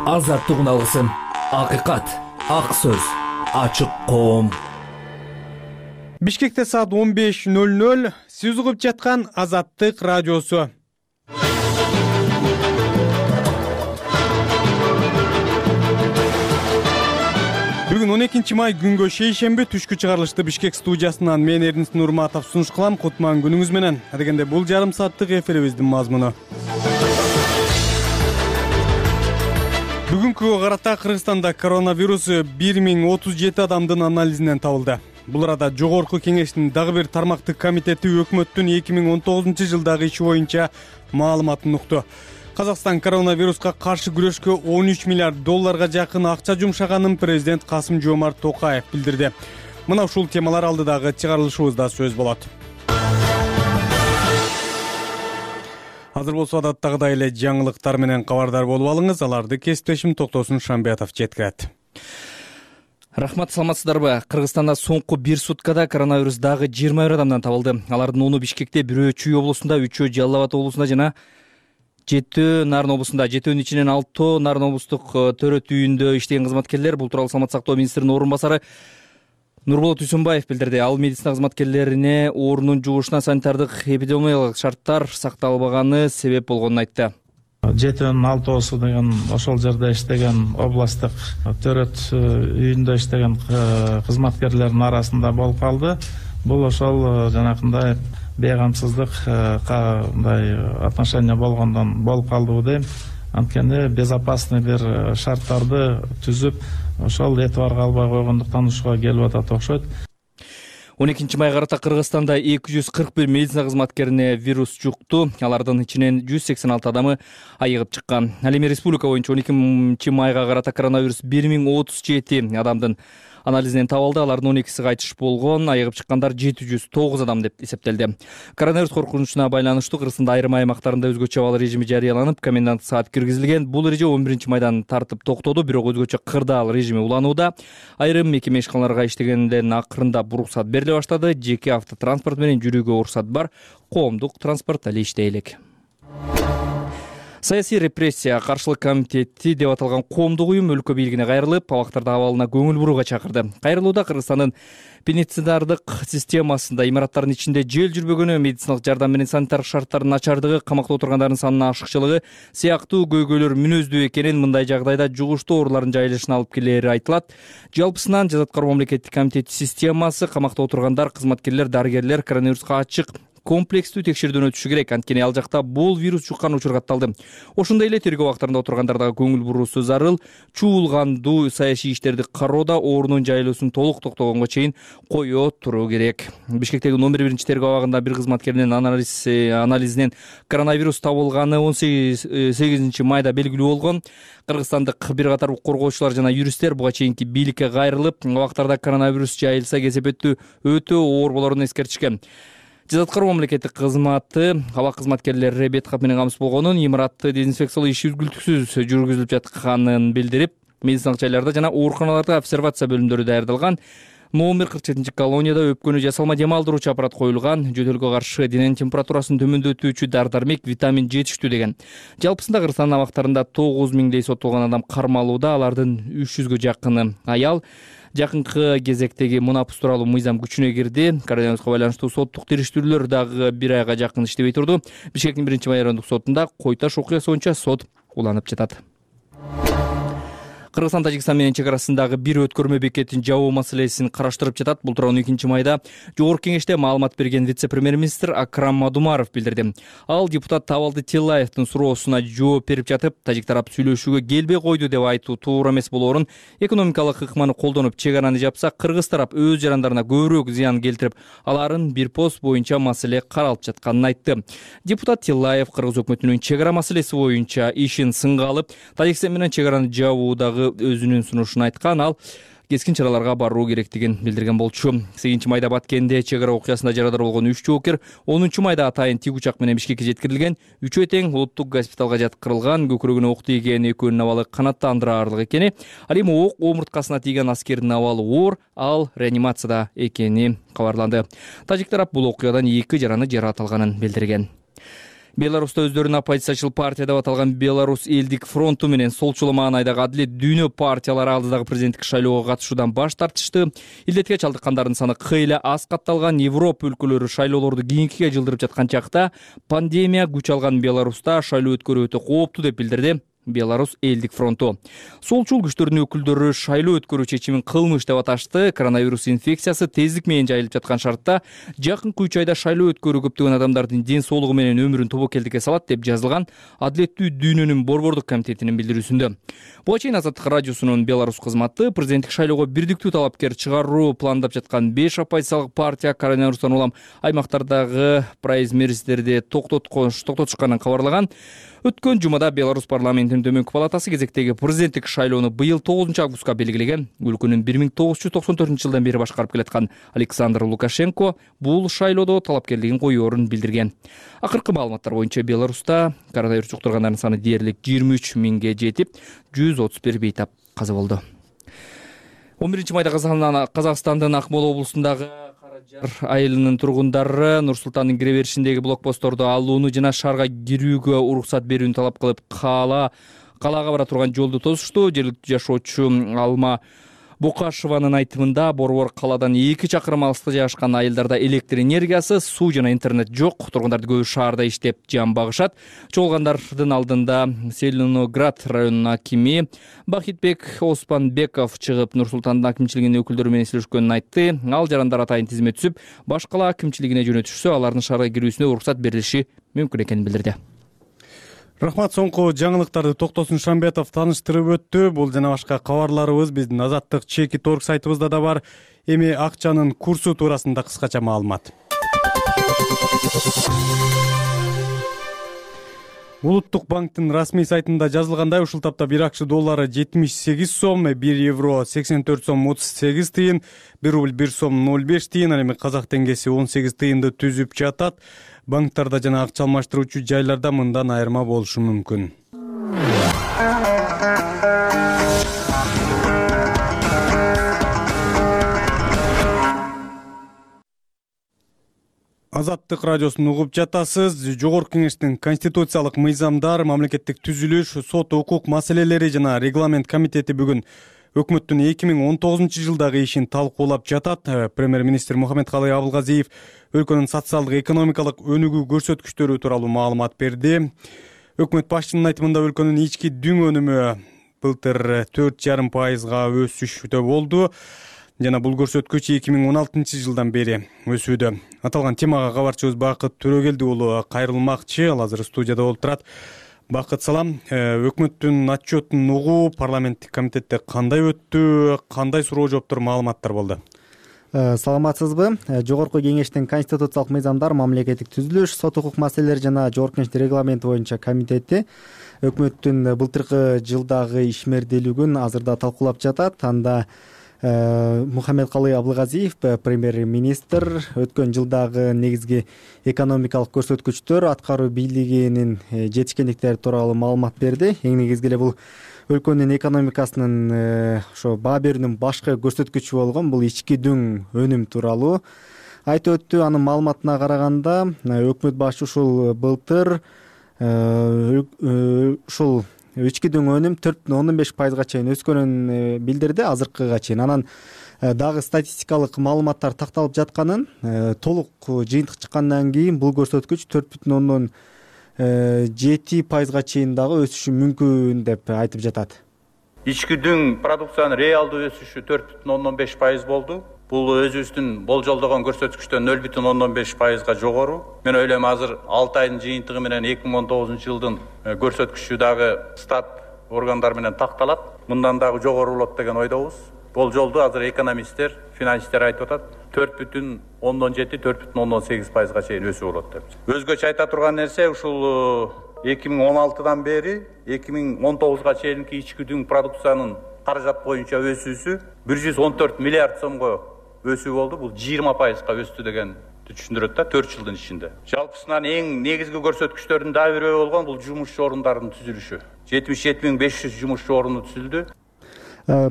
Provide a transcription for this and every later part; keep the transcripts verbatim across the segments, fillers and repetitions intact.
азаттыгын алгысың. Акыйкат, ак сөз, ачык коом. Бишкекте саат он беш ноль ноль. Сиз угуп жаткан Азаттык радиосу. Бүгүн он экинчи май күнгө шейшемби түшкү чыгарылышты Бишкек студиясынан мен Эрдинс Нурматов сунуш кылам. Кутман күнүңүз менен. Адегенде бул жарым сааттык эфирибиздин мазмуну. Бүгүнкүгө карата Кыргызстанда коронавирус бир миң отуз жети адамдын анализинен табылды. Бул арада Жогорку Кеңештин дагы бир тармактык комитети өкмөттүн эки миң он тогузунчу жылдагы иши боюнча маалыматын укту. Казакстан коронавируска каршы күрөшкө он үч миллиард долларга жакын акча жумшаганын президент Касым-Жомарт Токаев билдирди. Мына ушул темалар алдыдагы чыгарылышыбызда сөз болот. Азыр болсо адаттагыдай эле жаңылыктар менен кабардар болуп алыңыз. Аларды кесиптешим Токтосун Шамбиятов жеткирет. Рахмат, саламатсыздарбы? Кыргызстанда соңку бир суткада коронавирус дагы жыйырма бир адамдан табылды. Алардын ону Бишкекте, бирөө Чүй облусунда, үчөө Жалал Абад облусунда жана жетөө Нарын облусунда. Жетөөнүн ичинен алтоо Нарын облустук төрөт үйүндө иштеген кызматкерлер. Бул тууралуу Саламаттык сактоо министринин орун басары Нурболот Үсөнбаев билдирди. Ал медицина кызматкерлерине оорунун жугушуна санитардык эпидемиологиялык шарттар сакталбаганы себеп болгонун айтты. Жетөөнүн алтоосу деген ошол жерде иштеген областтык төрөт үйүндө иштеген кызматкерлердин арасында болуп калды. Бул ошол жанакындай бейгамсыздык кандай отношение болгондон болуп калдыбы дейм. Анткени безопасный бир шарттарды түзүп, ошол этибарга албай койгондуктан ушуга келип атат окшойт. он экинчи майга карата Кыргызстанда эки жүз кырк бир медицина кызматкерине вирус жукту. Алардын ичинен жүз сексен алты адамы айыгып чыккан. Ал эми республика боюнча он экинчи майга карата коронавирус бир миң отуз жети адамдын анализинен табылды. Алардын он экиси кайтыш болгон, айыгып чыккандар жети жүз тогуз адам деп эсептелди. Коронавирус коркунучуна байланыштуу Кыргызстанда айрым аймактарында өзгөчө абал режими жарыяланып, комендант саат киргизилген. Бул эреже он биринчи майдан тартып токтоду, бирок өзгөчө кырдаал режими уланууда. Айрым мекеме ишканаларга иштегенден акырында уруксат бериле баштады. Жеке автотранспорт менен жүрүүгө уруксат бар, коомдук транспорт эле иштей элек. Саясий репрессия каршылык комитети деп аталган коомдук уюм өлкө бийлигине кайрылып, абактарды абалына көңүл бурууга чакырды. Кайрылууда Кыргызстандын пенитенциардык системасында имараттардын ичинде жел жүрбөгөнү, медициналык жардам менен санитар шарттардын начардыгы, камакта отургандардын санынын ашыкчылыгы сыяктуу көйгөйлөр мүнөздүү экенин, мындай жагдайда жугуштуу оорулардын жайылышына алып келери айтылат. Жалпысынан Жаза аткаруу мамлекеттик комитети системасы, камакта отургандар, кызматкерлер, дарыгерлер коронавируска ачык комплекстүү текшерүүдөн өтүшү керек. Анткени ал жакта бул вирус жуккан учур катталды. Ошондой эле тергөө убактарында отургандардагы көңүл буруусу зарыл. Чуулгандуу саясий иштерди кароодо оорунун жайылуусун толук токтогонго чейин кое туруу керек. Бишкектеги номер биринчи тергөө абагында бир кызматкеринин анализ анализинен коронавирус табылганы он сегизинчи майда белгилүү болгон. Кыргызстандык бир катар укук коргоочулар жана юристтер буга чейинки бийликке кайрылып, убактарда коронавирус жайылса кесепеттүү өтө оор болорун эскертишкен. Жаза аткаруу мамлекеттик кызматы абак кызматкерлери бет кап менен камсыз болгонун, имаратты дезинфекциялоо иши үзгүлтүксүз жүргүзүлүп жатканын билдирип, медициналык жайларда жана ооруканаларда обсервация бөлүмдөрү даярдалган. Номер кырк жетинчи колонияда өпкөнү жасалма дем алдыруучу аппарат коюлган. Жөтөлгө каршы дененин температурасын төмөндөтүүчү дары-дармек, витамин жетиштүү деген. Жалпысында Кыргызстандын абактарында тогуз миңдей соттолгон адам кармалууда. Алардын үч жүзгө жакыны аял. Жакынкы кезектеги мунапус тууралуу мыйзам күчүнө кирди. Коронавируска байланыштуу соттук териштирүүлөр дагы бир айга жакын иштебей турду. Бишкектин биринчи май райондук сотунда Койташ окуясы боюнча сот уланып жатат. Кыргызстан Тажикстан менен чек арасындагы бир өткөрмө бекетин жабуу маселесин караштырып жатат. Бул тууралуу он экинчи майда Жогорку Кеңеште маалымат берген вице-премьер-министр Акрам Мадумаров билдирди. Ал депутат Табалды Тиллаевдин суроосуна жооп берип жатып, тажик тарап сүйлөшүүгө келбей койду деп айтуу туура эмес болоорун, экономикалык ыкманы колдонуп чек араны жапса, кыргыз тарап өз жарандарына көбүрөөк зыян келтирип, аларын бир пост боюнча маселе каралып жатканын айтты. Депутат Тиллаев кыргыз өкмөтүнүн чек ара маселеси боюнча ишин сынга алып, Тажикстан менен чек араны жабуудагы өзүнүн сунушун айткан. Ал кескин чараларга баруу керектигин билдирген болчу. сегизинчи майда Баткенде чек ара окуясында жарадар болгон үч жоокер онунчу майда атайын тик учак менен Бишкекке жеткирилген. Үчөө тең улуттук госпиталга жаткырылган. Көкүрөгүнө ок тийген, экөөнүн абалы канаттандырарлык экени, ал эми ок омурткасына тийген аскердин абалы оор, ал реанимацияда экени кабарланды. Тажик тарап бул окуядан эки жараны жаракат алганын билдирген. Беларуста өздөрүн оппозициячыл партия деп аталган Беларусь элдик фронту менен солчул маанайдагы Адилет дүйнө партиялары алдыдагы президенттик шайлоого катышуудан баш тартышты. Илдетке чалдыккандардын саны кыйла аз катталган. Европа өлкөлөрү шайлоолорду кийинкиге жылдырып жаткан чакта пандемия күч алган Беларуста шайлоо өткөрүү өтө кооптуу деп билдирди Беларусь элдик фронту. Солчул күчтөрдүн өкүлдөрү шайлоо өткөрүү чечимин кылмыш деп аташты. Коронавирус инфекциясы тездик менен жайылып жаткан шартта жакынкы үч айда шайлоо өткөрүү көптөгөн адамдардын ден соолугу менен өмүрүн тобокелдикке салат деп жазылган Адилеттүү дүйнөнүн борбордук комитетинин билдирүүсүндө. Буга чейин Азаттык радиосунун Беларусь кызматы президенттик шайлоого бирдиктүү талапкер чыгаруу пландап жаткан беш оппозициялык партия коронавирустан улам аймактардагы праймеристерди токтотушканын кабарлаган. Өткөн жумада Беларусь парламентинин төмөнкү палатасы кезектеги президенттик шайлоону быйыл тогузунчу августка белгилеген. Өлкөнүн бир миң тогуз жүз токсон төртүнчү жылдан бери башкарып келаткан Александр Лукашенко бул шайлоодо талапкерлигин коюорун билдирген. Акыркы маалыматтар боюнча Беларуста коронавирус жуктургандардын саны дээрлик жыйырма үч миңге жетип, жүз отуз бир бейтап каза болду. он биринчи майда Казакстандын Акмола облусундагы Жар айылынын тургундары Нур-Султандын кире беришиндеги блокпостторду алууну жана шаарга кирүүгө уруксат берүүнү талап кылып, кала калаага бара турган жолду тосушту. Жергиликтүү жашоочу Алма Бокашеванын айтымында борбор каладан эки чакырым алыста жайгашкан айылдарда электр энергиясы, суу жана интернет жок. Тургундарды көбү шаарда иштеп жан багышат. Чогулгандардын алдында Селеноград районунун акими Бахитбек Оспанбеков чыгып, Нур-Султандын акимчилигинин өкүлдөрү менен сүйлөшкөнүн айтты. Ал жарандар атайын тизме түзүп, баш кала акимчилигине жөнөтүшсө, алардын шаарга кирүүсүнө уруксат берилиши мүмкүн экенин билдирди. Рахмат, соңку жаңылыктарды Токтосун Шамбетов тааныштырып өттү. Бул жана башка кабарларыбыз биздин Азаттык чеки торг сайтыбызда да бар. Эми акчанын курсу туурасында кыскача маалымат. Улуттук банктын расмий сайтында жазылгандай, ушул тапта бир акча доллары жетимиш сегиз сом, бир евро сексен төрт сом отуз сегиз тыйын, бир рубль бир сом ноль беш тыйын, ал эми казак теңгеси он сегиз тыйынды түзүп жатат. Банктарда жана акча алмаштыруучу жайларда мындан айырма болушу мүмкүн. Азаттык радиосун угуп жатасыз. Жогорку кеңештин конституциялык мыйзамдар, мамлекеттик түзүлүш, сот, укук маселелери жана регламент комитети бүгүн өкмөттүн эки миң он тогузунчу жылдагы ишин талкуулап жатат. Премьер-министр Мухаммедкалый Абылгазиев өлкөнүн социалдык экономикалык өнүгүү көрсөткүчтөрү тууралуу маалымат берди. Өкмөт башчынын айтымында өлкөнүн ички дүң өнүмү былтыр төрт жарым пайызга өсүштө болду. Жана бул көрсөткүч эки миң он алтынчы жылдан бери өсүүдө. Аталган темага кабарчыбыз Бакыт Төрөгелди уулу кайрылмакчы, ал азыр студияда болуп турат. Бакыт, салам. Өкмөттүн отчетун угуу парламенттик комитетте кандай өттү, кандай суроо жооптор, маалыматтар болду? Саламатсызбы? Жогорку кеңештин конституциялык мыйзамдар, мамлекеттик түзүлүш, сот, укук маселелери жана жогорку кеңештин регламенти боюнча комитети өкмөттүн былтыркы жылдагы ишмердүүлүгүн азырда талкуулап жатат. Анда Мухаммедкалый Абылгазиев, премьер-министр, өткөн жылдагы негизги экономикалык көрсөткүчтөр, аткаруу бийлигинин жетишкендиктери тууралуу маалымат берди. Эң негизги эле бул өлкөнүн экономикасынын ошо баа берүүнүн башкы көрсөткүчү болгон бул ички дүң өнүм тууралуу айтып өттү. Анын маалыматына караганда, өкмөт башы ушул былтыр ушул ички дүң өнүм төрт бүтүн ондон беш пайызга чейин өскөнүн билдирди азыркыга чейин. Анан дагы статистикалык маалыматтар такталып жатканын, толук жыйынтык чыккандан кийин бул көрсөткүч төрт бүтүн ондон жети пайызга чейин дагы өсүшү мүмкүн деп айтып жатат. Ички дүң продукциянын реалдуу өсүшү төрт бүтүн ондон беш пайыз болду. Бул өзүбүздүн болжолдогон көрсөткүчтөн нөл бүтүн ондон беш пайызга жогору. Мен ойлойм, азыр алты айдын жыйынтыгы менен эки миң он тогузунчу жылдын көрсөткүчү дагы стат органдар менен такталат. Мындан дагы жогору болот деген ойдобуз. Болжолду азыр экономисттер, финансисттер айтып атат, төрт бүтүн ондон жети, төрт бүтүн ондон сегиз пайызга чейин өсүү болот деп. Өзгөчө айта турган нерсе, ушул эки миң он алтыдан бери эки миң он тогузга чейинки ички дүң продукциянын каражат боюнча өсүүсү бир жүз он төрт миллиард сомго өсүү болду. Бул жыйырма пайызга өстү деген түшүндүрөт да төрт жылдын ичинде. Жалпысынан эң негизги көрсөткүчтөрдүн дагы бирөө болгон бул жумушчу орундарынын түзүлүшү. жетимиш жети миң беш жүз жумушчу орunu түзүлдү.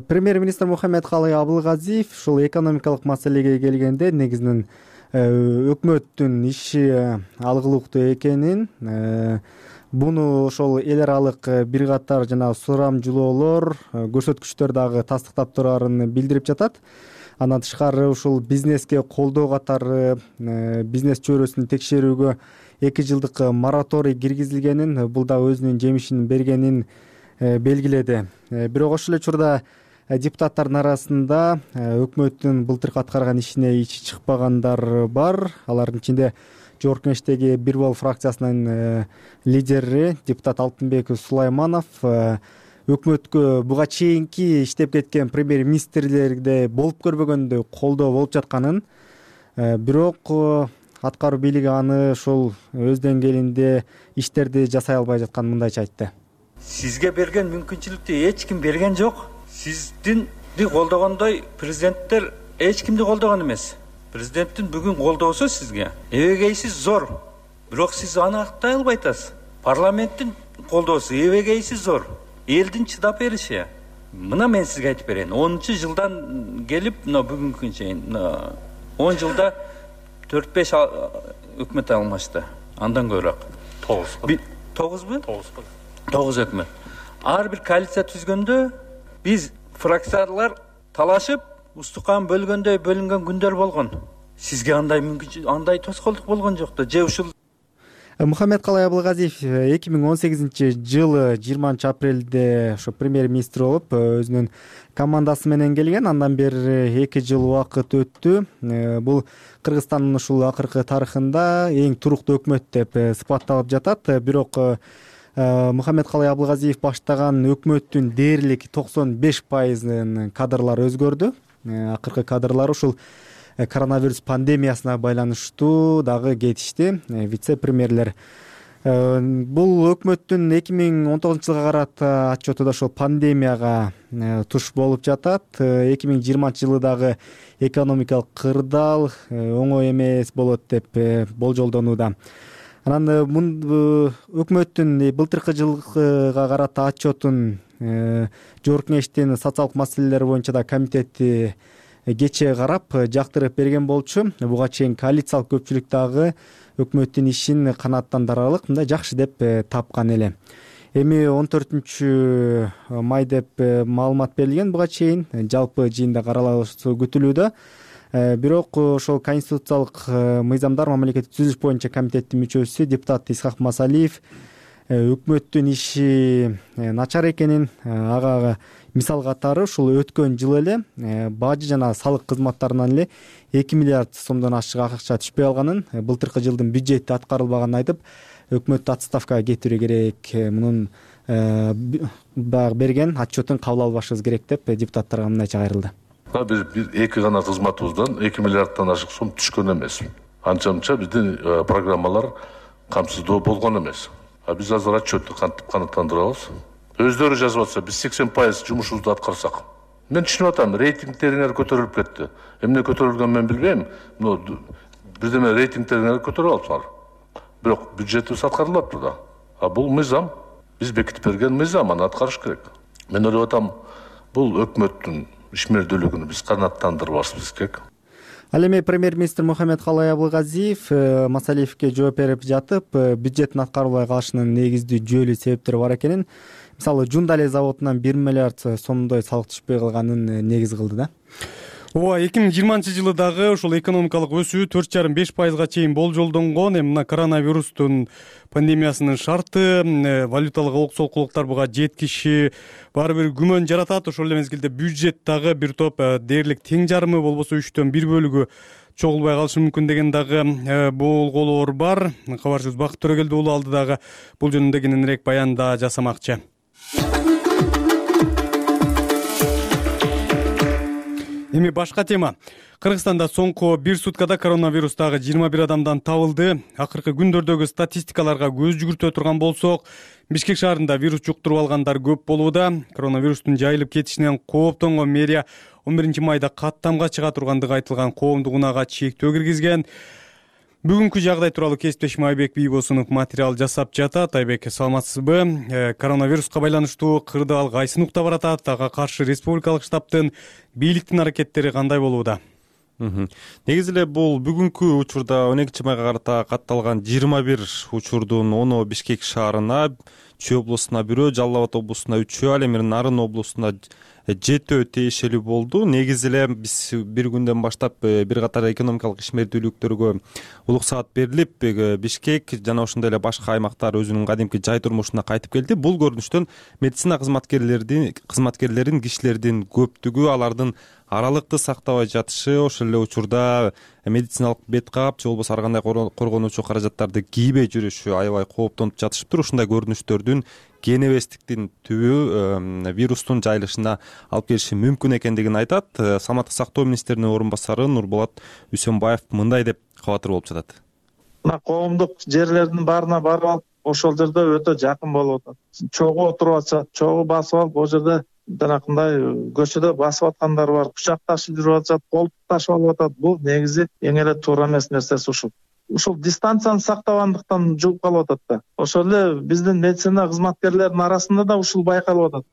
Премьер-министр Мухаммедкалый Абылгазиев ушул экономикалык маселеге келгенде негизинен өкмөттүн иши алгылыктуу экенин, буну ошол эл аралык бир катар жана сурамжылоолор, көрсөткүчтөр дагы тастыктап турарын билдирип жатат. Андан тышкары ушул бизнеске колдоо катары бизнес чөйрөсүн текшерүүгө эки жылдык мораторий киргизилгенин, бул дагы өзүнүн жемишин бергенин белгиледи. Бирок ошол эле учурда депутаттардын арасында өкмөттүн былтыркы аткарган ишине ичи чыкпагандар бар. Алардын ичинде Жогорку Кеңештеги Бир Бул фракциясынын лидери депутат Алтынбек Сулайманов өкмөткө буга чейинки иштеп кеткен премьер-министрлерде болуп көрбөгөндөй колдоо болуп жатканын, бирок аткаруу бийлиги аны ушул өз деңгээлинде иштерди жасай албай жатканын мындайча айтты. Сизге берген мүмкүнчүлүктү эч ким берген жок. Сиздинди колдогондой президенттер эч кимди колдогон эмес. Президенттин бүгүн колдоосу сизге эбегейсиз зор. Бирок сиз аны актай албай атасыз. Парламенттин колдоосу эбегейсиз зор. Элдин чыдап бериши. Мына мен сизге айтып берейин. онунчу жылдан келип, мына бүгүнкү чейин он жылда төрт беш өкмөт алмашты. Андан көбүрөөк. тогуз. тогузбу? тогуз өкмөт. Ар бир коалиция түзгөндө биз фракциялар талашып, устукан бөлгөндөй бөлүнгөн күндөр болгон. Сизге андай мүмкүнчүлүк, андай тоскоолдук болгон жок да. Же ушул Мухаммедкалый Абылгазиев эки миң он сегизинчи жылы жыйырманчы апрелде ошо премьер-министр болуп, өзүнүн командасы менен келген. Андан бери эки жыл убакыт өттү. Бул Кыргызстандын ушул акыркы тарыхында эң туруктуу өкмөт деп сыпатталып жатат. Бирок Мухаммедкалый Абылгазиев баштаган өкмөттүн дээрлик токсон беш пайызынын кадрлары өзгөрдү. Акыркы кадрлар ушул коронавирус пандемиясына байланыштуу дагы кетишти. Вице-премьерлер. Бул өкмөттүн эки миң он тогузунчу жылга карата отчету да ошол пандемияга туш болуп жатат. эки миң жыйырманчы жылы дагы экономикалык кырдаал оңой эмес болот деп болжолдонууда. Анан өкмөттүн былтыркы жылга карата отчетун Жогорку Кеңештин социалдык маселелер боюнча да комитети кечээ карап жактырып берген болчу. Буга чейин коалициялык көпчүлүк дагы өкмөттүн ишин канааттандырарлык мындай жакшы деп тапкан эле. Эми он төртүнчү май деп маалымат берилген буга чейин. Жалпы жыйында каралышы күтүлүүдө. Бирок ошол конституциялык мыйзамдар мамлекеттик түзүлүш боюнча комитеттин мүчөсү депутат Исхак Масалиев өкмөттүн иши начар экенин, ага мисал катары ушул өткөн жылы эле бажы жана салык кызматтарынан эле эки миллиард сомдон ашык акча түшпөй алганын, былтыркы жылдын бюджети аткарылбаганын айтып, өкмөттү отставкага кетирүү керек, мунун баягы берген отчетун кабыл албашыбыз керек деп депутаттарга мындайча кайрылды. Биз эки гана кызматыбыздан эки миллиарддан ашык сом түшкөн эмес. Анча-мынча биздин программалар камсыздоо болгон эмес. Биз азыр отчетту кантип канааттандырабыз? Өздөрү жазып атса, биз сексен пайыз жумушубузду аткарсак. Мен түшүнүп атам, рейтингтериңер көтөрүлүп кетти. Эмне көтөрүлгөнүн мен билбейм. Бирдеме рейтингтериңер көтөрүп алыпсыңар. Бирок бюджетибиз аткарылып атты да. А бул мыйзам, биз бекитип берген мыйзам, аны аткарыш керек. Мен ойлоп атам, бул өкмөттүн ишмердүүлүгүн биз канааттандырбашыбыз керек. Ал эми премьер-министр Мухаммедкалый Абылгазиев Масалиевке жооп берип жатып, бюджеттин аткарылбай калышынын негиздүү жүйөлүү себептери бар экенин, мисалы Жундале заводунан бир миллиард сомдой салык түшпөй калганын негиз кылды да. Ооба, эки миң жыйырманчы жылы дагы ушул экономикалык өсүү төрт жарым беш пайызга чейин болжолдонгон. Эми мына коронавирустун пандемиясынын шарты, валюталык олксолкулуктар буга жеткиши баары бир күмөн жаратат. Ошол эле мезгилде бюджет дагы бир топ дээрлик тең жарымы болбосо үчтөн бир бөлүгү чогулбай калышы мүмкүн деген дагы болголоор бар. Кабарчыбыз Бакыт Төрөгелди уулу алды дагы бул жөнүндө кененирээк баянда жасамакчы. Эми башка тема. Кыргызстанда соңку бир суткада коронавирустагы жыйырма бир адамдан табылды. Акыркы күндөрдөгү статистикаларга көз жүгүртө турган болсок, Бишкек шаарында вирус жуктуруп алгандар көп болууда. Коронавирустун жайылып кетишинен кооптонгон мэрия он биринчи майда каттамга чыга тургандыгы айтылган коомдук унаага чектөө киргизген. Бүгүнкү жагдай тууралуу кесиптешим Айбек Бийбосунов материал жасап жатат. Айбек, саламатсызбы? Коронавируска байланыштуу кырдаал кайсы нукта баратат? Ага каршы республикалык штабтын бийликтин аракеттери кандай болууда? Негизи эле бул бүгүнкү учурда он экинчи майга карата катталган жыйырма бир учурдун ону Бишкек шаарына, Чүй облусуна бирөө, Жалал Абад облусуна үчөө, ал эми Нарын облусуна жетөө тиешелүү болду. Негизи эле биз бир күндөн баштап бир катар экономикалык ишмердүүлүктөргө улук саат берилип, Бишкек жана ошондой эле башка аймактар өзүнүн кадимки жай турмушуна кайтып келди. Бул көрүнүштөн медицина кызматкерлеринин кызматкерлерин кишилердин көптүгү, алардын аралыкты сактабай жатышы, ошол эле учурда медициналык бет кап же болбосо ар кандай коргонуучу каражаттарды кийбей жүрүшү аябай кооптонуп жатышыптыр. Ушундай көрүнүштөрдүн кен эбестиктин түбү вирустун жайылышына алып келиши мүмкүн экендигин айтат. Саламаттык сактоо министринин орун басары Нурболот Үсөнбаев мындай деп кабатыр болуп жатат. Мына коомдук жерлердин баарына барып алып, ошол жерде өтө жакын болуп атат. Чогуу отуруп атышат, чогуу басып алып, ол жерде жанакындай көчөдө басып аткандар бар, кучакташып жүрүп атышат, кол ташып алып атат. Бул негизи эң эле туура эмес нерсеси ушул. Ушул дистанцияны сактабагандыктан жугуп калып атат да. Ошол эле биздин медицина кызматкерлеринин арасында да ушул байкалып атат.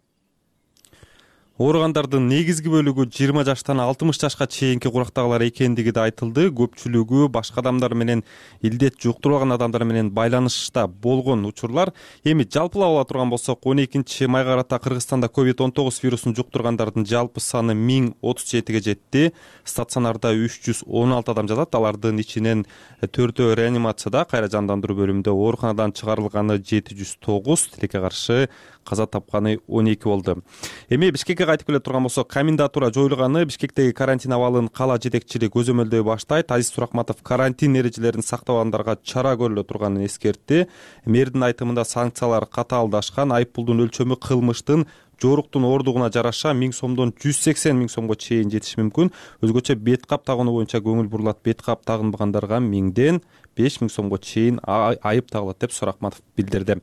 Ооругандардын негизги бөлүгү жыйырма жаштан алтымыш жашка чейинки курактагылар экендиги да айтылды. Көпчүлүгү башка адамдар менен, илдет жуктурбаган адамдар менен байланышта болгон учурлар. Эми жалпылап ала турган болсок, он экинчи майга карата Кыргызстанда ковид он тогуз вирусун жуктургандардын жалпы саны миң отуз жетиге жетти. Стационарда үч жүз он алты адам жатат. Алардын ичинен төртөө реанимацияда, кайра жандандыруу бөлүмүндө, ооруканадан чыгарылганы жети жүз тогуз, тилекке каршы каза тапканы он эки болду. Эми Бишкекке кайтып келе турган болсок, комендатура жоюлганы, Бишкектеги карантин абалын кала жетекчилиги көзөмөлдөй баштайт. Азиз Туракматов карантин эрежелерин сактабагандарга чара көрүлө турганын эскертти. Мэрдин айтымында санкциялар катаалдашкан, айыппулдун өлчөмү кылмыштын жоруктун ордугуна жараша миң сомдон жүз сексен миң сомго чейин жетиши мүмкүн. Өзгөчө бет кап тагынуу боюнча көңүл бурулат. Бет кап тагынбагандарга миңден беш миң сомго чейин айып тагылат деп Суракматов билдирди.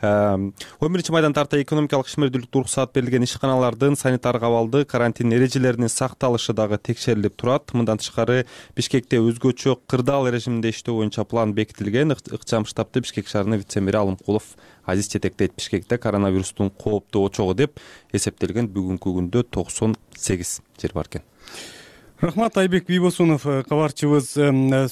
он биринчи майдан тарта экономикалык ишмердүүлүктү уруксаат берилген ишканалардын санитардык абалды, карантин эрежелеринин сакталышы дагы текшерилип турат. Мындан тышкары Бишкекте өзгөчө кырдаал режиминде иштөө боюнча план бекитилген. Ыкчам штабты Бишкек шаарынын вице-мэри Алымкулов Азиз жетектейт. Бишкекте коронавирустун кооптуу очогу деп эсептелген бүгүнкү күндө токсон сегиз жер бар экен. Рахмат, Айбек Бийбосунов кабарчыбыз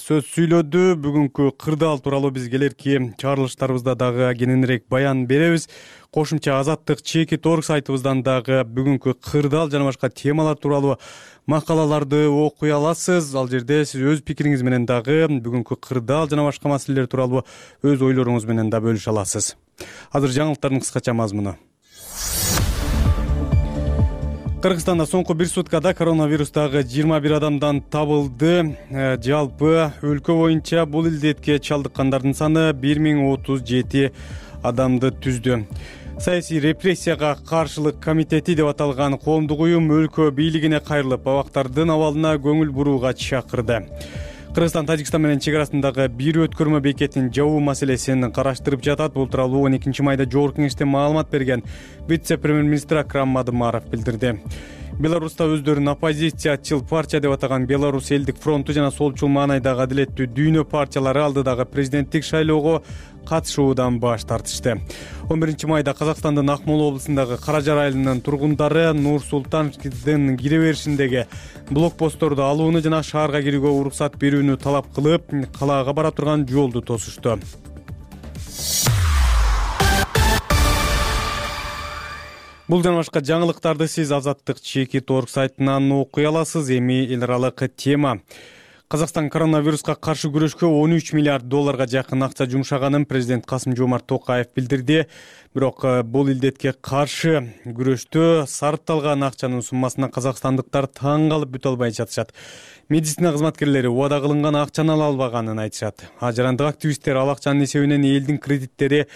сөз сүйлөдү. Бүгүнкү кырдаал тууралуу биз келерки чыгарылыштарыбызда дагы кененирээк баян беребиз. Кошумча Азаттык чеки торг сайтыбыздан дагы бүгүнкү кырдаал жана башка темалар тууралуу макалаларды окуй аласыз. Ал жерде сиз өз пикириңиз менен дагы бүгүнкү кырдаал жана башка маселелер тууралуу өз ойлоруңуз менен да бөлүшө аласыз. Азыр жаңылыктардын кыскача мазмуну. Кыргызстанда соңку бир суткада коронавирустагы жыйырма бир адамдан табылды. Жалпы өлкө боюнча бул илдетке чалдыккандардын саны бир миң отуз жети адамды түздү. Саясий репрессияга каршылык комитети деп аталган коомдук уюм өлкө бийлигине кайрылып, абактардын абалына көңүл бурууга чакырды. Кыргызстан Тажикстан менен чек арасындагы бир өткөрмө бекетин жабуу маселесин караштырып жатат. Бул тууралуу он экинчи майда Жогорку Кеңеште маалымат берген вице-премьер-министр Акрам Мадымаров билдирди. Беларуста өздөрүн оппозициячыл партия деп атаган Беларусь элдик фронту жана солчул маанайдагы Адилеттүү дүйнө партиялары алдыдагы президенттик шайлоого катышуудан баш тартышты. он биринчи майда Казакстандын Акмола облусундагы Каражар айылынын тургундары Нур Султандын кире беришиндеги блокпостторду алууну жана шаарга кирүүгө уруксат берүүнү талап кылып, калаага бара турган жолду тосушту. Бул жана башка жаңылыктарды сиз Азаттык чеки торг сайтынан окуй аласыз. Эми эл аралык тема. Казакстан коронавируска каршы күрөшкө он үч миллиард долларга жакын акча жумшаганын президент Касым-Жомарт Токаев билдирди. Бирок бул илдетке каршы күрөштө сарпталган акчанын суммасына казакстандыктар таң калып бүтө албай жатышат. Медицина кызматкерлери убада кылынган акчаны ала албаганын айтышат. Ажарандык активисттер ал акчанын эсебинен элдин кредиттери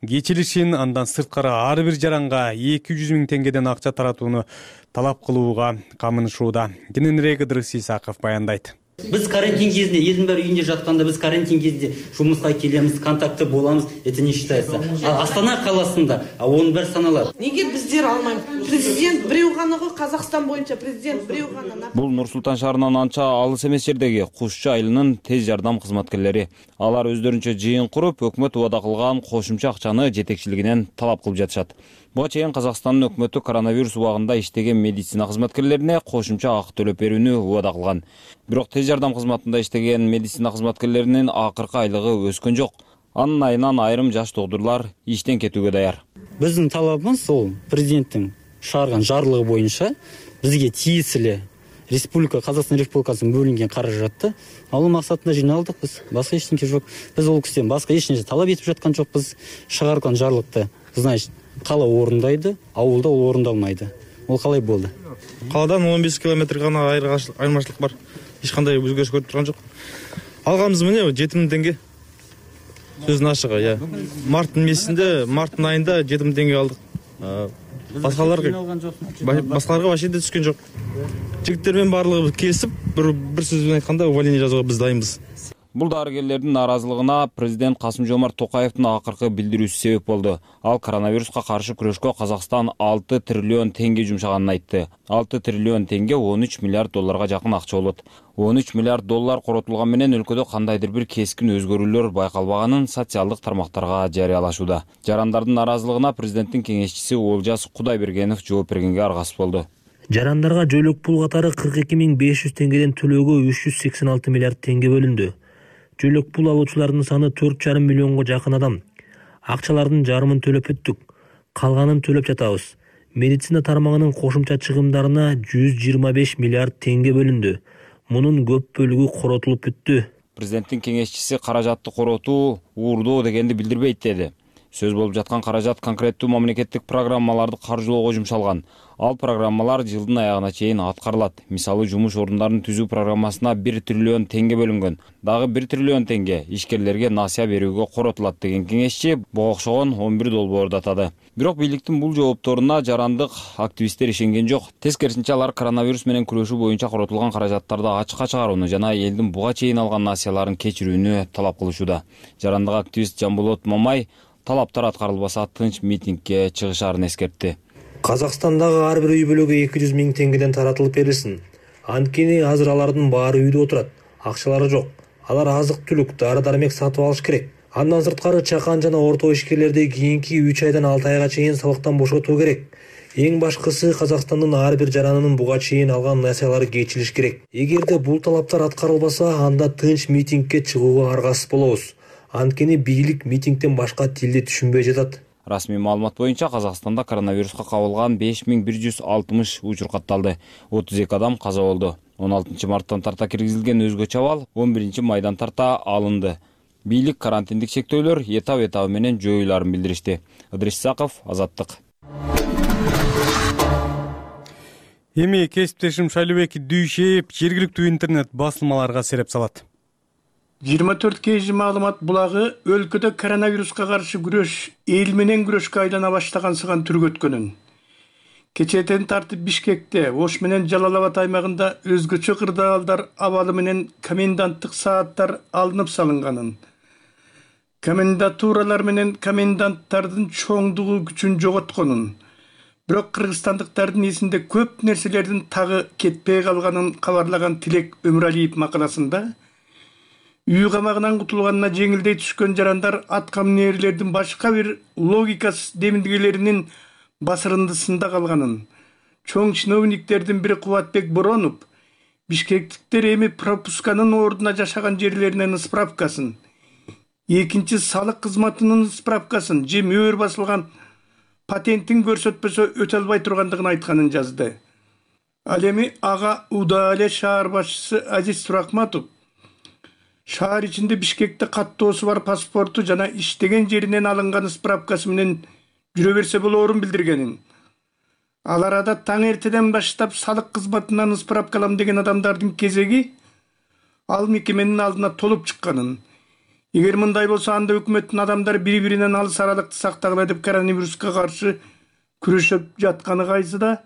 кечилишин, андан сырткары ар бир жаранга эки жүз миң теңгеден акча таратууну талап кылууга камынышууда. Кененирээк Ыдырыс Исаков баяндайт. Біз карантин кезінде, елдің бәрі үйінде жатқанда біз карантин кезінде жұмысқа келеміз, контакты боламыз, это не считается. А Астана қаласында он бір саналар. Неге біздер алмаймыз? Президент бирөө гана го, Казакстан боюнча президент бирөө гана. Бул Нур-Султан шаарынан анча алыс эмес жердеги Кушчу айылынын тез жардам кызматкерлери. Алар өздөрүнчө жыйын куруп, өкмөт убада кылган кошумча акчаны жетекчилигинен талап кылып жатышат. Буга чейин Казакстандын өкмөтү коронавирус убагында иштеген медицина кызматкерлерине кошумча акы төлөп берүүнү убада кылган. Бирок тез жардам кызматында иштеген медицина кызматкерлеринин акыркы айлыгы өскөн жок. Анын айынан айрым жаш доктурлар иштен кетүүгө даяр. Биздин талабыбыз ол президенттин чыгарган жарлыгы боюнча бизге тиесилүү Республика Казакстан Республикасынын бөлүнгөн каражатты алуу максатында жыйналдык биз. Башка эчтеке жок. Биз ол кишиден башка эч нерсе талап этип жаткан жокпуз. Чыгарган жарлыкты, значит, кала орундайды, ауылда ол орундалмайды. Ол калай болду? Каладан он беш километр гана айырмачылык бар. Эч кандай өзгөрүш көрүп турган жок. Алганыбыз мына жети миң теңге. Сөздүн ачыгы, я. Марттын месинде, марттын айында жети миң теңге алдык. Башкаларга башкаларга вообще да түшкөн жок. Жигиттер менен барлыгы келип, бир бир сөз менен айтканда увольнение жазууга биз дайынбыз. Бул дарыгерлердин наразылыгына президент Касым-Жомарт Токаевдин акыркы билдирүүсү себеп болду. Ал коронавируска каршы күрөшкө Казакстан алты триллион теңге жумшаганын айтты. алты триллион теңге он үч миллиард долларга жакын акча болот. он үч миллиард доллар коротулган менен өлкөдө кандайдыр бир кескин өзгөрүүлөр байкалбаганын социалдык тармактарга жарыялашууда. Жарандардын наразылыгына президенттин кеңешчиси Олжас Кудайбергенов жооп бергенге аргасыз болду. Жарандарга жойлук пул катары кырк эки миң беш жүз теңгеден төлөөгө үч жүз сексен алты миллиард теңге бөлүндү. Жойлук пул алуучулардын саны төрт жарым миллионго жакын адам. Акчалардын жарымын төлөп бүттүк. Калганын төлөп жатабыз. Медицина тармагынын кошумча чыгымдарына жүз жыйырма беш миллиард теңге бөлүндү. Мунун көп бөлүгү коротулуп бүттү. Президенттин кеңешчиси каражатты коротуу уурдоо дегенди билдирбейт деди. Сөз болуп жаткан каражат конкреттүү мамлекеттик программаларды каржылоого жумшалган. Ал программалар жылдын аягына чейин аткарылат. Мисалы, жумуш орундарын түзүү программасына бир триллион теңге бөлүнгөн. Дагы бир триллион теңге ишкерлерге насыя берүүгө коротулат деген кеңешчи буга окшогон он бир долбоорду атады. Бирок бийликтин бул жоопторуна жарандык активисттер ишенген жок. Тескерисинче алар коронавирус менен күрөшүү боюнча коротулган каражаттарды ачыкка чыгарууну жана элдин буга чейин алган насыяларын кечирүүнү талап кылышууда. Жарандык активист Жамболот Мамай талаптар аткарылбаса тынч митингге чыгышаарын эскертти. Казакстандагы ар бир үй бүлөгө эки жүз миң теңгеден таратылып берилсин. Анткени азыр алардын баары үйдө отурат. Акчалары жок. Алар азык-түлүк, дары-дармек сатып алыш керек. Андан сырткары чакан жана орто ишкерлерди кийинки үч айдан алты айга чейин сабактан бошотуу керек. Эң башкысы Казакстандын ар бир жаранынын буга чейин алган насыялары кечилиш керек. Эгерде бул талаптар аткарылбаса, анда тынч митингге чыгууга аргасыз болобуз. Анткени бийлик митингден башка тилди түшүнбөй жатат. Расмий маалымат боюнча Казакстанда коронавируска кабылган беш миң бир жүз алтымыш учур катталды. отуз эки адам каза болду. он алтынчы марттан тарта киргизилген өзгөчө абал он биринчи майдан тарта алынды. Бийлик карантиндик чектөөлөр этап-этабы менен жоюларын билдиришти. Ыдрис Саков, Азаттык. Эми кесиптешим Шайлообек Дүйшеев жергиликтүү интернет басылмаларга сереп салат. жыйырма төрт кей жи маалымат булагы өлкөдө коронавируска каршы күрөш эл менен күрөшкө айлана баштагансыган түргөткөнүн. Кечээден тартып Бишкекте, Ош менен Жалал-Абад аймагында өзгөчө кырдаалдар абалы менен коменданттык сааттар алынып салынганын. Комендатуралар менен коменданттардын чоңдугу күчүн жоготконун. Бирок кыргызстандыктардын эсинде көп нерселердин тагы кетпей калганын кабарлаган Тилек Өмүралиев макаласында үй камагынан кутулганына жеңилдей түшкөн жарандар аткаминерлердин башка бир логикасыз демилгелеринин басырындысында калганын, чоң чиновниктердин бири Кубатбек Боронов бишкектиктер эми пропусканын ордуна жашаган жерлеринен справкасын, экинчи салык кызматынын справкасын же мөөр басылган патентин көрсөтпөсө өтө албай тургандыгын айтканын жазды. Ал эми ага Удаале шаар башчысы Азиз Туракматов шаар ичинде Бишкекте каттоосу бар паспорту жана иштеген жеринен алынган справкасы менен жүрө берсе болоорун билдиргенин. Ал арада таң эртеден баштап салык кызматынан справкалам деген адамдардын кезеги ал мекеменин алдына толуп чыкканын. Эгер мындай болсо, анда өкмөттүн адамдары бири-биринен алыс аралыкты сактагыла деп коронавируска каршы күрөшүп жатканы кайсы да,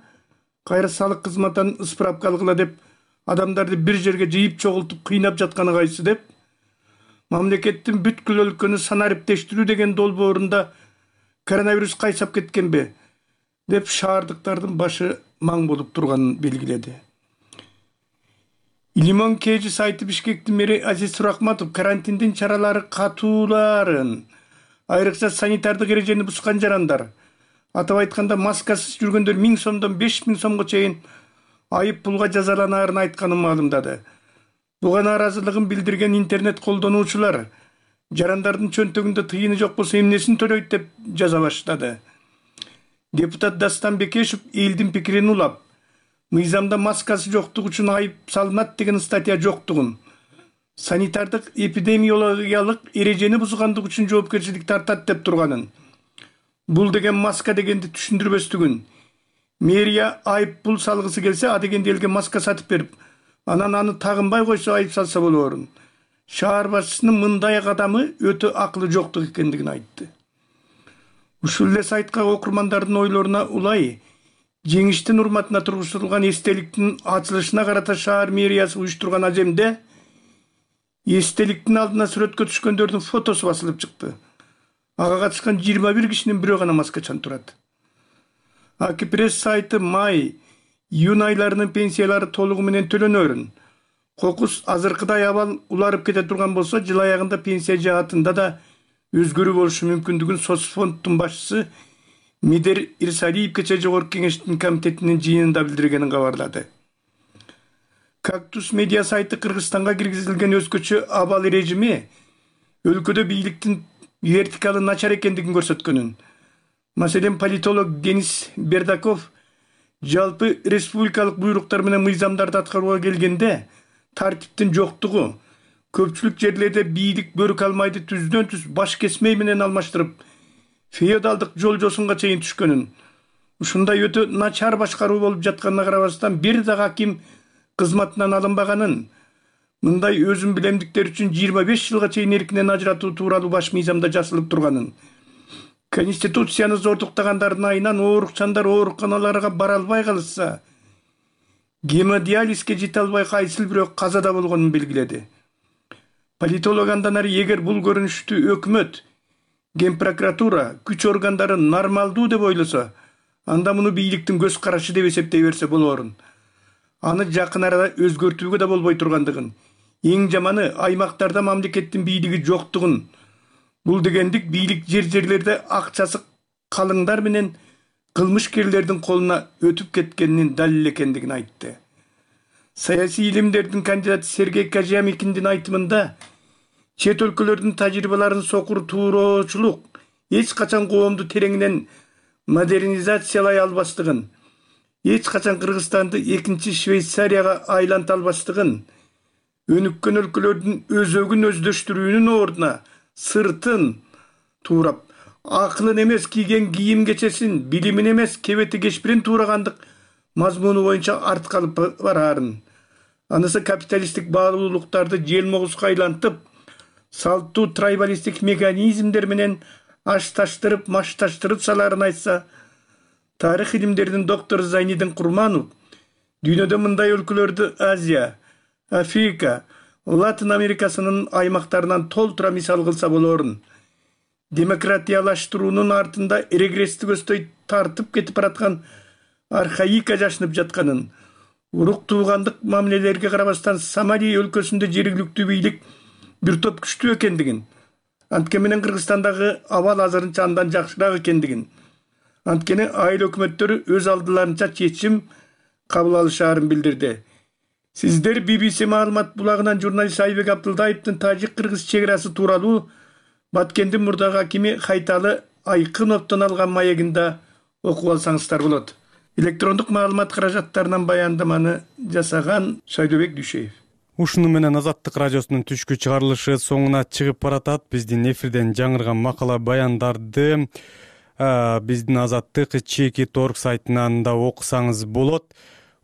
кайра салык кызматынан справка алгыла деп адамдарды бир жерге жыйып чогултуп кыйнап жатканы кайсы деп, мамлекеттин бүткүл өлкөнү санариптештирүү деген долбоорунда коронавирус кайсап кеткенби? деп шаардыктардын башы маң болуп турганын белгиледи. Лимон Кежи сайты Бишкектин мэри Азиз Суракматов карантиндин чаралары катууларын, айрыкча санитардык эрежени бускан жарандар, атап айтканда маскасыз жүргөндөр миң сомдон беш миң сомго чейин айып пулга жазаланаарын айтканын маалымдады. Буга нааразылыгын билдирген интернет колдонуучулар жарандардын чөнтөгүндө тыйыны жок болсо эмнесин төлөйт деп жаза баштады. Депутат Дастан Бекешев элдин пикирин улап, мыйзамда маскасы жоктугу үчүн айып салынат деген статья жоктугун, санитардык эпидемиологиялык эрежени бузгандык үчүн жоопкерчилик тартат деп турганын, бул деген маска дегенди түшүндүрбөстүгүн, мэрия айып пул салгысы келсе, а дегенде элге маска сатып берип, анан аны тагынбай койсо айып салса болоорун. Шаар башчысынын мындай кадамы өтө акылы жоктук экендигин айтты. Ушул эле сайтка окурмандардын ойлоруна улай, жеңиштин урматына тургузулган эстеликтин ачылышына карата шаар мэриясы уюштурган аземде эстеликтин алдына сүрөткө түшкөндөрдүн фотосу басылып чыкты. Ага катышкан жыйырма бир кишинин бирөө гана маскачан турат. Аки пресс сайты май, июнь айларынын пенсиялары толугу менен төлөнөрүн, кокус азыркыдай абал уларып кете турган болсо, жыл аягында пенсия жаатында да өзгөрүү болушу мүмкүндүгүн соцфонддун башчысы Мидер Ирсалиев кечээ Жогорку Кеңештин комитетинин жыйынында билдиргенин кабарлады. Кактус медиа сайты Кыргызстанга киргизилген өзгөчө абал режими өлкөдө бийликтин вертикалы начар экендигин көрсөткөнүн. Маселен, политолог Денис Бердаков жалпы республикалык буйруктар менен мыйзамдарды аткарууга келгенде тартиптин жоктугу, көпчүлүк жерлерде бийлик бөрүк алмайды түздөн түз баш кесмей менен алмаштырып, феодалдык жол жосунга чейин түшкөнүн, ушундай өтө начар башкаруу болуп жатканына карабастан бир да аким кызматынан алынбаганын, мындай өзүн билемдиктер үчүн жыйырма беш жылга чейин эркинен ажыратуу тууралуу баш мыйзамда жазылып турганын, Конституцияны зордуктагандардын айынан оорукчандар ооруканаларга бара албай калышса, гемодиализге жете албай кайсыл бирөө казада болгонун белгиледи. Политолог андан ары эгер бул көрүнүштү өкмөт, Ген прокуратура, күч органдары нормалдуу деп ойлосо, анда муну бийликтин көз карашы деп эсептей берсе болоорун. Аны жакын арада өзгөртүүгө да болбой тургандыгын, эң жаманы аймактарда мамлекеттин бийлиги жоктугун, бул дегендик бийлик жер-жерлерде акчасы калыңдар менен кылмышкерлердин колуна өтүп кеткенинин далил экендигин айтты. Саясий илимдердин кандидаты Сергей Кожамикиндин айтымында, чет өлкөлөрдүн тажрыйбаларын сокур туурочулук эч качан коомду тереңинен модернизациялай албастыгын, эч качан Кыргызстанды экинчи Швейцарияга айланта албастыгын, өнүккөн өлкөлөрдүн өзөгүн өздөштүрүүнүн ордуна сыртын туурап, акылын эмес кийген кийим кечесин, билимин эмес кебети кешпирин туурагандык мазмуну боюнча артка алып бараарын, анысы капиталисттик баалуулуктарды желмогузга айлантып, салттуу трайбалисттик механизмдер менен ашташтырып, машташтырып салаарын айтса, тарых илимдеринин доктору Зайнидин Курманов дүйнөдө мындай өлкөлөрдү Азия, Африка, Латын Америкасынын аймактарынан толтура мисал кылса болоорун. Демократиялаштыруунун артында регресстик өстөй тартып кетип бараткан архаика жашынып жатканын, урук туугандык мамилелерге карабастан Сомали өлкөсүндө жергиликтүү бийлик бир топ күчтүү экендигин, анткени менен Кыргызстандагы абал азырынча андан жакшыраак экендигин, анткени айыл өкмөттөрү өз алдыларынча чечим кабыл алышаарын билдирди. Сиздер би би си маалымат булагынан журналист Айбек Абдылдаевдин тажик-кыргыз чек-арасы тууралуу Баткендин мурдагы акими Хайталы Айкыновдон алган маегинде окуп алсаңыздар болот. Электрондук маалымат каражаттарынан баяндаманы жасаган Шайдыбек Дүйшеев. Ушуну менен Азаттык радиосунун түшкү чыгарылышы соңуна чыгып баратат. Биздин эфирден жаңырган макала баяндарды биздин Азаттык чеки точка орг сайтынан да окусаңыз болот.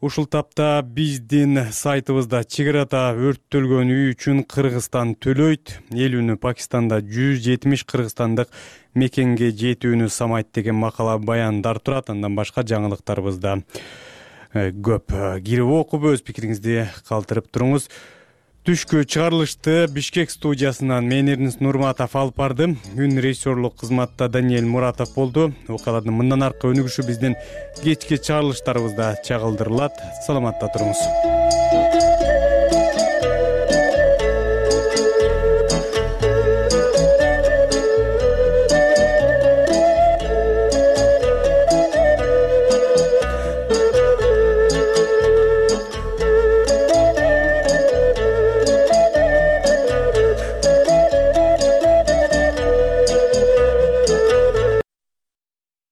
Ушул тапта биздин сайтыбызда чек арада өрттөлгөн үй үчүн Кыргызстан төлөйт, эл үнү Пакистанда жүз жетимиш кыргызстандык мекенге жетүүнү самайт деген макала баяндар турат. Андан башка жаңылыктарыбызда көп. Кирип окуп өз пикириңизди калтырып туруңуз. Түшкү чыгарылышты Бишкек студиясынан мен Эрнис Нурматов алып бардым. Үн режиссерлук кызматта Даниэль Муратов болду. Окуялардын мындан аркы өнүгүшү биздин кечки чыгарылыштарыбызда чагылдырылат. Саламатта туруңуз.